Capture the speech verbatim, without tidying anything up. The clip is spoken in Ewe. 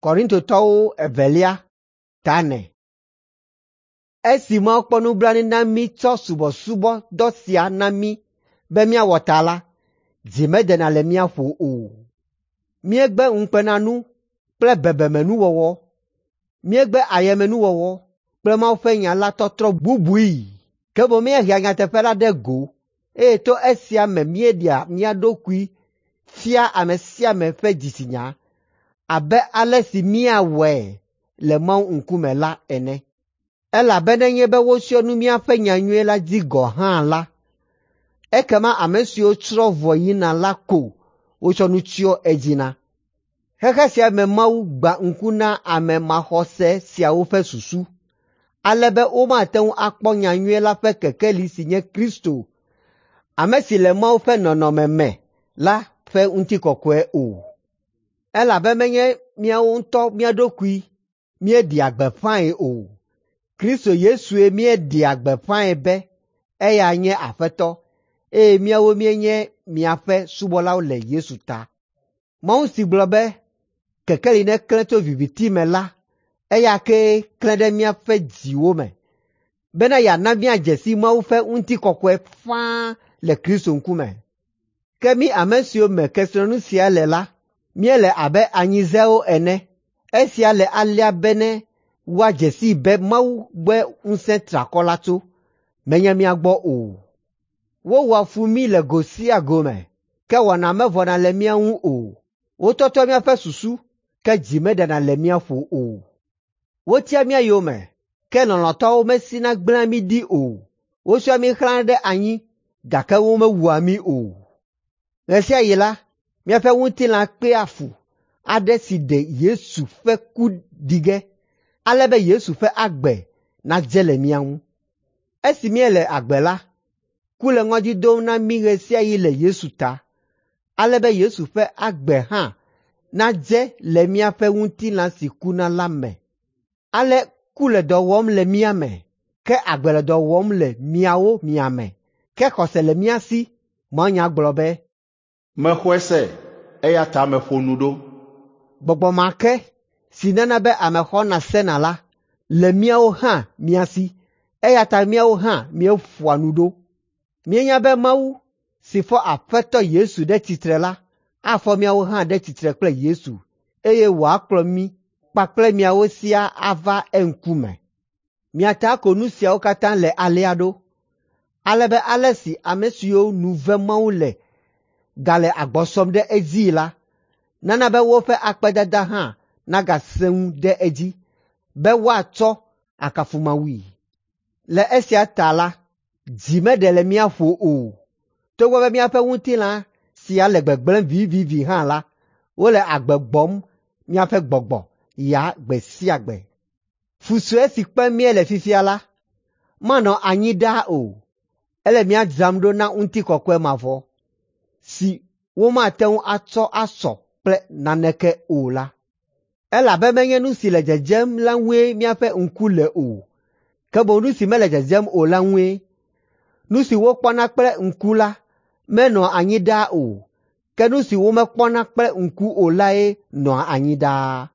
Korintotɔwo evelia ta ene. Esi Mawu kpɔ nublanui na mí tsɔ subɔsubɔdɔ sia na mí be míawɔ ta la, dzi meɖena le mía ƒo o. Míegbe ŋukpenanu kple bebemenuwɔwɔ. Míegbe ayemenuwɔwɔ kple Mawu ƒe nya la tɔtrɔ bubui, ke boŋ míehea nyateƒe la ɖe go eye to esia me míeɖea mía ɖokui fia ame sia ame ƒe dzitsinya abe ale si míawɔe le Mawu ŋkume la ene. Elabe nenye be wotsyɔ nu míaƒe nyanyui la dzi gɔ̃ hã la, ekema ame siwo tsrɔ̃ vɔ yina la ko wotsɔ nu tsyɔ edzi na. Xexe sia me Mawu gbã ŋku na ame maxɔse siawo ƒe susu, ale be womate ŋu akpɔ nyanyui la ƒe kekeli si nye Kristo, ame si le Mawu ƒe nɔnɔme me la ƒe ŋutikɔkɔe o. Elabe menye míawo ŋutɔ mía ɖokui míeɖea gbeƒãe o. Kristo Yesue míeɖea gbeƒãe be eya nye Aƒetɔ eye míawo míenye miaƒe subɔlawo le Yesu ta. Mawu si gblɔ be, “Kekeli neklẽ tso viviti me” la, eya kee klẽ ɖe míaƒe dziwo me, bena yeana míadze si Mawu ƒe ŋutikɔkɔe faa le Kristo ŋkume. Ke mí ame siwo me kesinɔnu sia le la, míele abe anyizewo ene. Esia le alea bene woadze sii be Mawu gbɔe ŋusẽ triakɔ la tso, menye mía gbɔ o. Wowɔa fu mí le go sia go me, ke wɔna mevɔna le mía ŋu o. Wotɔtɔ míaƒe susu, ke dzi meɖena le mía ƒo o. Wotia mía yome, ke lɔlɔ̃tɔwo mesina gblẽa mí ɖi o. Wotsyɔa mí xlã ɖe anyi, gake womewua mí o. Ɣe sia ɣi la, míaƒe ŋutilã kpea fu aɖe si ɖe Yesu ƒe ku ɖi ge, ale be Yesu ƒe agbe nadze le mía ŋu. Esi míele agbe la, ku le ŋɔdzi dom na mí ɣe sia ɣi le Yesu ta, ale be Yesu ƒe agbe hã nadze le míaƒe ŋutilã si kuna la me. Ale ku le dɔ wɔm le mía me, ke agbe le dɔ wɔm le miawo mia me. Ke xɔse le mía si. Mawunya gblɔ be, Mexɔe se, eya ta meƒo nu ɖo. Gbɔgbɔ ma ke si nana be ame xɔna sena la le míawo hã mía si, eya ta míawo hã míeƒoa nu ɖo. Míenya be Mawu si fɔ Aƒetɔ Yesu ɖe tsitre la afɔ míawo hã ɖe tsitre kple Yesu eye wòakplɔ mí kpakple miawo siaa ava eŋkume. Mia ta ko nu siawo katã le alea ɖo, ale be ale si ame siwo nu ve Mawu le gale agbɔ sɔm ɖe edzii la, nana be woƒe akpedada hã nagasẽ ŋu ɖe edzi be woatsɔ akafu Mawui. Le esia ta la, dzi meɖe le mía ƒo o. Togbɔ be míaƒe ŋutilã sia le gbegblẽm vivivi hã la, wole agbe gbɔm míaƒe gbɔgbɔ ya gbe sia gbe. Fu sue si kpem míele fifia la, manɔ anyi ɖaa o. Ele mía dzram ɖo na ŋutikɔkɔe mavɔ si womate ŋu atsɔ asɔ kple naneke o la. Elabe menye nu si le dzedzem la ŋue míaƒe ŋku le o, ke boŋ nu si mele dzedzem o la ŋue. Nu si wokpɔna kple ŋku la menɔa anyi ɖaa o, ke nu si womekpɔna kple ŋku o lae nɔa anyi ɖaa.